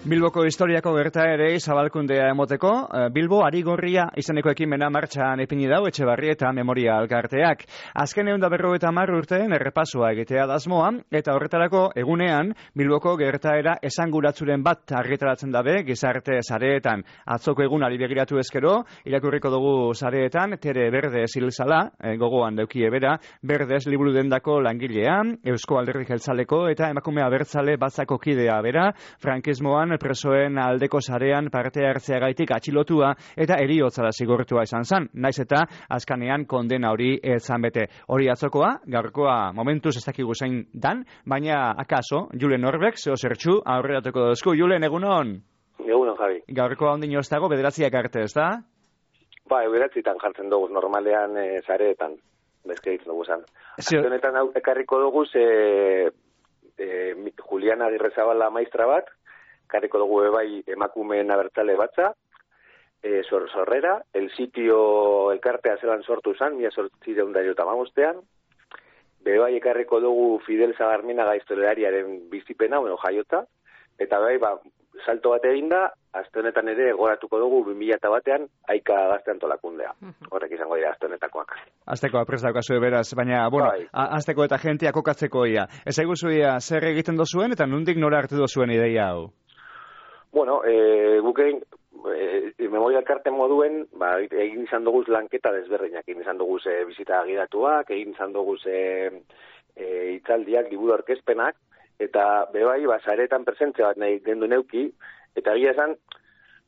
Bilboko historiako gertaerei zabalkundea emoteko, Bilbo Arigorria izeneko ekimena martxan ipini dau Etxebarrieta Memoria Elkarteak. Azken 150 urteen errepasoa egitea da asmoa, eta horretarako egunean Bilboko gertaera esanguratsuren bat argitaratzen dabe gizarte sareetan. Atzoko egunari begiratu ezkero, irakurriko dugu sareetan, Tere Berdez hilzala, gogoan daukie bera, Berdez liburu dendako langilea, Eusko Alderdi Jeltzaleko eta emakume abertzale batzako kidea bera, frankismoan presoen aldeko sarean parte hartzeagaitik atxilotua eta heriotzara zigortua izan zen, naiz eta azkanean kondena hori etzan bete. Hori atzokoa, gaurkoa momentuz ez dakigu zein dan, baina akaso, Julen Norbek, zeo zertxu, aurreratuko dozku. Julen, egunon? Egunon, Javi. Gaurkoa ondino ez dago, bederatziak arte, ez da? Ba, bederatzitan jartzen dugu, normalean zareetan, bezkeritzen dugu zan. Aztenetan ekarriko dugu, Juliana Agirrezabala maistra bat, ekarriko dugu bai emakumeen abertzale batza, sorrera, el sitio elkartea zelan sortu zan, 1885, bai ekarriko dugu Fidel Zagarminaga historialariaren bizipena, jaiota, eta bai, salto bat eginda, aste honetan ere goratuko dugu 2001 Aika Gazte Antolakundea. Horrek izango dira aste honetakoak. Aztekoa prest daukazu beraz, baina, azteko eta jentia kokatzeko ia. Ez eguzu ia, zer egiten dozuen eta nondik nora hartu dozuen ideia hau? Bueno, gukein, Memoria Elkarte moduen, egin izan duguz lanketa desberdinak, egin izan duguz bizita agidatuak, egin izan duguz hitzaldiak, liburu aurkezpenak, eta bebai, zaretan presentzia bat nahi gendu neuki, eta egia esan,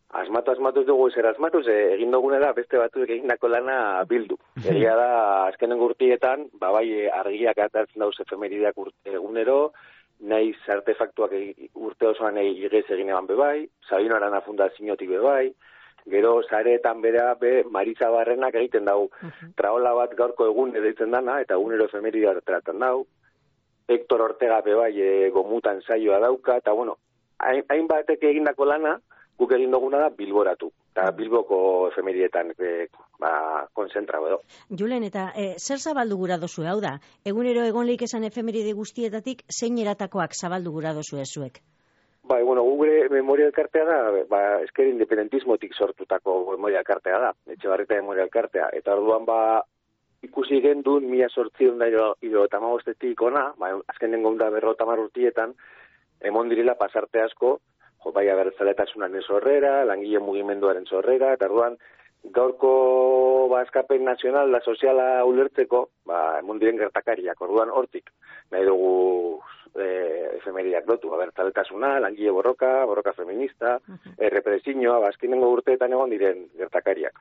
asmatu dugu zer asmatuz, egin dugune da beste batzuk egindako lana bildu. Egia da, azkenen gurtietan, bai, argiak atartzen dauz efemerideak egunero, nahiz artefaktuak urte osoan igez egin eban bebai, Sabino Arana Fundaziotik bebai, gero zaretan bera Marisa Barrenak egiten dau, traola bat gaurko egun edaitzen dana, eta egunero efemeridea tratan dau, Hector Ortega bebai gomutan saioa dauka, eta hainbatek egindako lana, guk egin duguna da bilboratu. Eta Bilboko efemerietan konzentra edo. Julen, eta zer zabaldu gura dozu, hau da? Egunero egonleik esan efemeride guztietatik, zein eratakoak zabaldu gura dozu ezuek? Gure Memoria Elkartea da, esker independentismotik sortutako Memoria Elkartea da, Etxebarrieta Memoria Elkartea. Eta orduan ikusi gendun 1875 ona, azkenen gonda 50 urtietan, emon direla pasarte asko, bai abertzaletasunaren sorrera, langile mugimenduaren sorrera, eta orduan gaurko askapen nazional da soziala ulertzeko, emon diren gertakariak, orduan hortik nahi dugu efemeriak dotu, abertzaletasuna, langile borroka feminista, represioa, azkenengo urteetan egon diren gertakariak.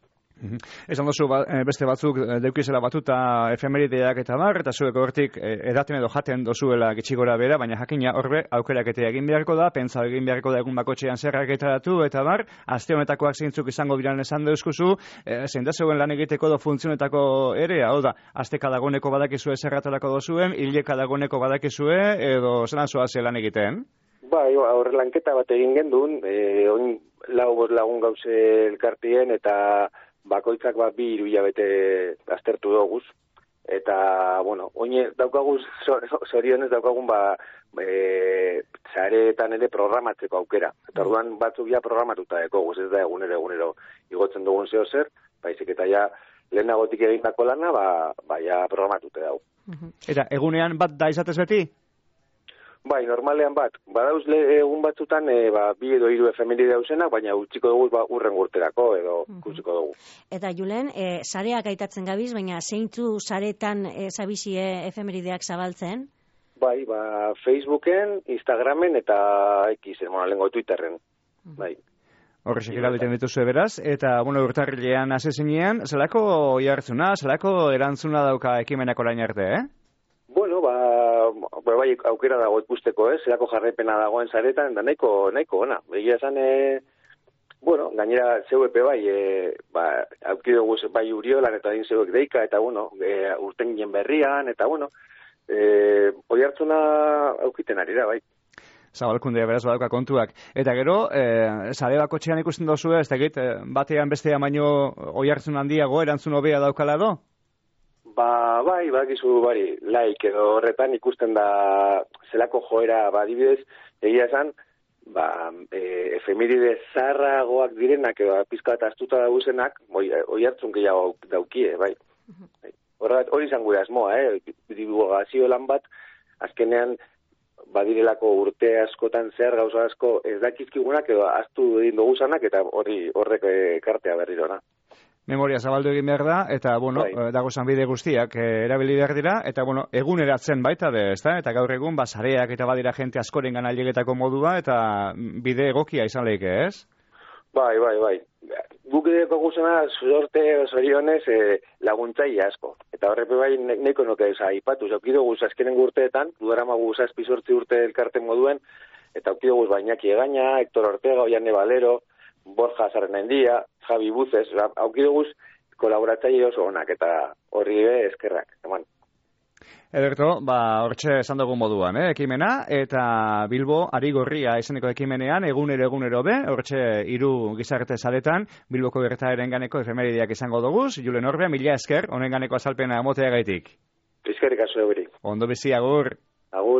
Esan dozu beste batzuk deukizela batuta efemerideak eta eta zuek hortik edaten edo jaten dozuela gitxigora bera, baina jakina horbe aukeraketea egin beharko da, pentsa egin beharko da egun bakotxean zerrak etaratu, eta aste honetakoak zeintzuk izango biran esan deuskuzu, zein da zeuen lan egiteko do funtzionetako ere, hau da, asteka dagoneko badakizue zerratarako dozuen, hileka dagoneko badakizue, edo zelan zoaze lan egiten? Horre lanketa bat egin gendun, lagun gauze elkartien eta bakoitzak 2-3 hilabete aztertu doguz, eta, oine daukaguz, zorionez daukagun, zareetan ere programatzeko aukera. Eta orduan batzuk programatuta dekoguz, ez da egunero igotzen dugun zeo zer, baizik eta lehenagotik egindako lana, programatute dago. Eta egunean bat da izatez beti? Normalean badauz egun batzutan 2 edo 3 efemeride dauzenak, baina utziko dugu urren urterako edo utziko dugu. Eta Julen, sareak aitatzen gabiz, baina zeintzu saretan zabizie efemerideak zabaltzen? Facebooken, Instagramen eta lengo Twitterren. Horrexek erabiten dituzu beraz, eta urtarrilean asezinean, zelako jartzuna, zelako erantzuna dauka ekimenak orain arte, aukera dago ikusteko, zelako jarraipena dagoen zaretan, da nahiko ona. Egia esan, gainera zeuepe aukidugu Uriolan eta din zeuek deika, eta urten ginen berrian, eta hoi hartzuna aukiten ari da, Zabalkundea beraz badauka kontuak. Eta gero, sare bakotxean ikusten dozu ez, batean bestean baino hoi hartzun handiago, erantzun hobea daukala do? Bakizu edo horretan ikusten da zelako joera, adibidez, egia esan, efemeride zarragoak direnak, pizka eta astuta dauzenak, oi hartzun gehiago daukie, bai. Hori izan gure asmoa, divulgazio lan bat, azkenean, badirelako urte askotan zehar gauza asko ez dakizkigunak edo astu egin dugu zanak, eta horrek ekartea berrirona. Memoria zabaldu egin behar da, eta, dagozan bide guztiak erabili behar dira, eta, eguneratzen baita de, ezta? Eta gaur egun, sareak eta badira jente askoren gana ailegetako modua, eta bide egokia izan lehike, ez? Bai. Guk edeko guzena, zorionez, laguntzaile asko. Eta horrepe bai, neko nuke aipatu. Aukido guz, azkenen urteetan, dudarama guz azpizortzi urte elkarten moduen, eta aukido guz Bainaki Egaña, Hector Ortega, Oiane Valero, Borja Zarrenendia, Javi Buces, aukido guz, kolaboratzaile oso onak, eta horri eskerrak, eman. Ederto, hortxe esan dugu moduan, ekimena, eta Bilbo Arigorria izeneko ekimenean, egunero be, hortxe 3 gizarte saretan, Bilboko gertaeren ganeko efemerideak izango duguz, Julen Orbea, mila esker, honen ganeko azalpena emotea gaitik. Eskerrik asko euri. Ondo bizi, agur. Agur.